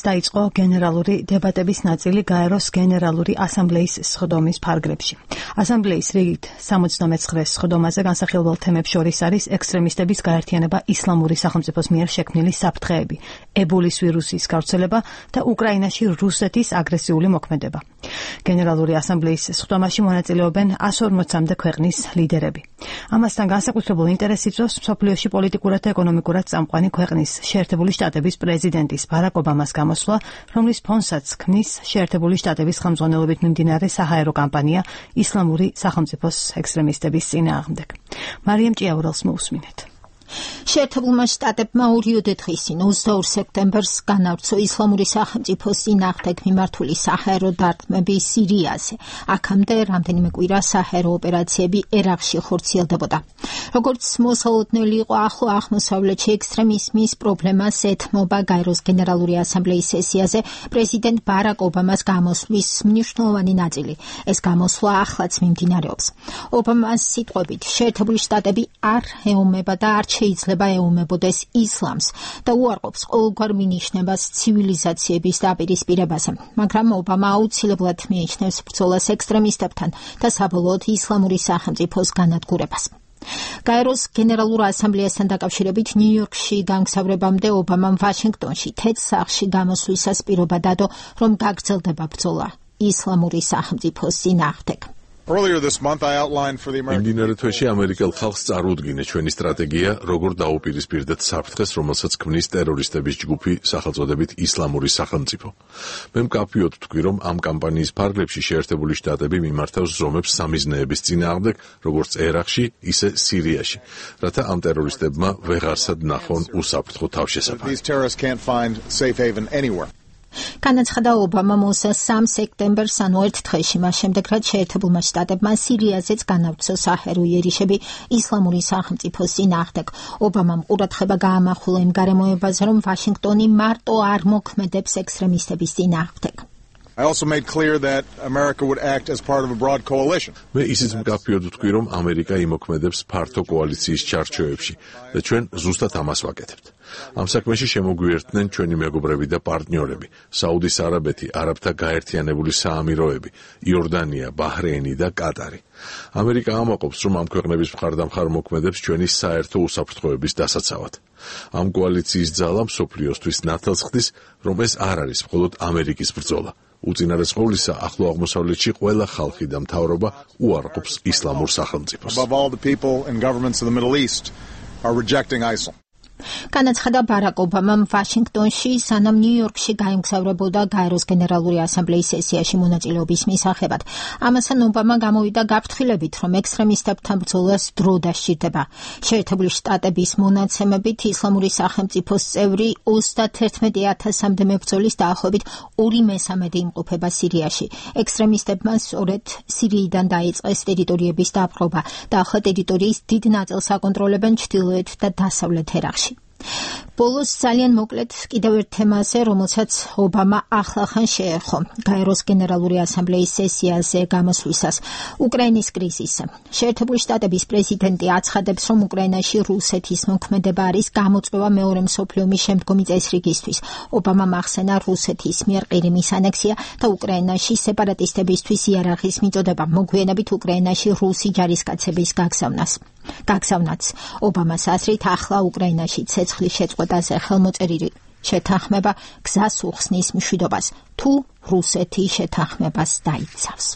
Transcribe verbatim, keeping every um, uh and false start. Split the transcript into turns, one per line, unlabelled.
დაიწყო გენერალური დებატების ნაწილი გაეროს გენერალური ასამბლეის სხდომის ფარგლებში. ასამბლეის რიგით სამოცდამეცხრე სხდომაზე განსახილველ თემებს შორის არის ექსტრემისტების გაერთიანება ისლამური სახელმწიფოს მიერ შექმნილი საფრთხეები, ებოლის ვირუსის გავრცელება და უკრაინაში რუსეთის აგრესიული მოქმედება. გენერალური ასამბლეის სხდომაში მონაწილეობენ εκατს ორმოცამდე ქვეყნის ლიდერები. ამასთან განსაკუთრებულ ინტერესს იწვევს მსოფლიოში პოლიტიკურად და ეკონომიკურად წამყვანი ქვეყნის შეერთებული შტატების პრეზიდენტის ბარაკ ობამას გამოსვლა, რომლის ფონსაც ქმნის შეერთებული შტატების ხელმძღვანელობით მიმდინარე საჰაერო კამპანია ისლამური სახელმწიფოს ექსტრემისტების წინააღმდეგ. მარიამ ჭიაურელს მოусმინეთ.
შეერთებულმა შტატებმა ორიოდე დღისინ ოცდაორ სექტემბერს განავრცო ისლამური სახელმწიფოს წინააღმდეგ მიმართული საჰაერო დარტყმები სირიაზე. აქამდე რამდენიმე კვირა საჰაერო ოპერაციები ერაყში ხორციელდებოდა. როგორც მოსალოდნელი იყო ახლო აღმოსავლეთში ექსტრემიზმის პრობლემას ეთმობა გაეროს გენერალური ასამბლეის სესიაზე პრეზიდენტ ბარაკ ობამას გამოსვლის მნიშვნელოვანი ნაწილი. ეს გამოსვლა ახლაც მიმდინარეობს. ობამას სიტყვებით, შეერთებული შტატები არ ეომება და არ შეიძლება ეომებოდეს ისლამს და უარყოფს ყოველგვარ მინიშნებას ცივილიზაციების დაპირისპირებაზე, მაგრამ ობამა აუცილებლად მიიჩნევს ბრძოლას ექსტრემისტებთან და საბოლოოდ ისლამური სახელმწიფოს განადგურებას. გაეროს გენერალურ ასამბლეასთან დაკავშირებით ნიუ-იორკში გამგზავრებამდე ობამამ ვაშინგტონში თეთრ სახლში გამოსვლისას პირობა დადო, რომ გაგრძელდება ბრძოლა ისლამური სახელმწიფოს წინააღმდეგ.
იმდინარე თვეში ამერიკელ ხალხს წარუდგინე ჩვენი სტრატეგია, როგორ დაუპირისპირდეთ საფრთხეს, რომელსაც ქმნის ტერორისტების ჯგუფი სახელწოდებით ისლამური სახელმწიფო. მე მკაფიოდ ვთქვი, რომ ამ კამპანიის ფარგლებში შეერთებული შტატები მიმართავს ზომებს სამიზნეების წინააღმდეგ, როგორც ერაყში, ისე სირიაში, რათა ამ ტერორისტებმა ვეღარსად ნახონ უსაფრთხო თავშესაფარი.
განაცხადა ობამამ ოცდასამ სექტემბერს, ანუ ერთ დღეში, მას შემდეგ, რაც შეერთებულმა შტატებმა სირიაზეც განავრცო საჰაერო იერიშები ისლამური სახელმწიფოს წინააღმდეგ. ობამამ ყურადღება გაამახვილა იმ გარემოებაზე, რომ ვაშინგტონი მარტო არ მოქმედებს ექსტრემისტების წინააღმდეგ.
I also made clear that America would act as part of a broad coalition.
მე ისიც მკაფიოდ ვთქვი, რომ ამერიკა იმოქმედებს ფართო კოალიციის ჩარჩოებში და ჩვენ ზუსტად ამას ვაკეთებთ. ამ საქმეში შემოგვიერთდნენ ჩვენი მეგობრები და პარტნიორები, საუდის არაბეთი, არაბთა გაერთიანებული საამიროები, იორდანია, ბაჰრეინი და კატარი. ამერიკა ამაყობს, რომ ამ ქვეყნების მხარდამხარ მოქმედებს ჩვენი საერთო უსაფრთხოების დასაცავად. ამ კოალიციის ძალა მსოფლიოსთვის ნათელს ხდის, რომ ეს არ არის მხოლოდ ამერიკის ბრძოლა. უწინარეს ყოვლისა, ახლო აღმოსავლეთში ყველა ხალხი და მთავრობა უარყოფს ისლამურ სახელმწიფოს.
Above all, the people and governments of the Middle East are rejecting ISIL.
განაცხადა ბარაკ ობამამ ვაშინგტონში, სანამ ნიუ-იორკში გაემგზავრებოდა გაეროს გენერალური ასამბლეის სესიაში მონაწილეობის მისაღებად. ამასთან ობამა გამოვიდა გაფრთხილებით, რომ ექსტრემისტებთან ბრძოლას დრო დასჭირდება. შეერთებული შტატების მონაცემებით ისლამური სახელმწიფოს წევრი ოცდათერთმეტი ათასამდე მებრძოლის დაახლოებით ორი მესამედი იმყოფება სირიაში. ექსტრემისტებმა სწორედ სირიიდან დაიწყეს ტერიტორიების დაპყრობა და ახლა ტერიტორიის დიდ ნაწილს აკონტროლებენ ჩრდილოეთ და დასავლეთ ერაყში. ბოლოს ძალიან მოკლედ კიდევ ერთ თემაზე, რომელსაც ობამა ახლახან შეერხო გაეროს გენერალური ასამბლეის სესიაზე გამოსვლისას, უკრაინის კრიზისზე. შეერთებული შტატების პრეზიდენტი აცხადებს, რომ უკრაინაში რუსეთის მოქმედება არის გამოწვევა მეორე მსოფლიო ომის შემდგომი წესრიგისთვის. ობამამ ახსენა რუსეთის მიერ ყირიმის ანექსია და უკრაინაში სეპარატისტებისთვის იარაღის მიწოდება, მოგვიანებით უკრაინაში რუსი ჯარისკაცების გაგზავნას. გაგზავნაც. ობამას აზრით, ახლა უკრაინაში ცეცხლის შეწყვეტაზე ხელმოწერილი შეთანხმება გზას უხსნის მშვიდობას, თუ რუსეთი შეთანხმებას დაიცავს.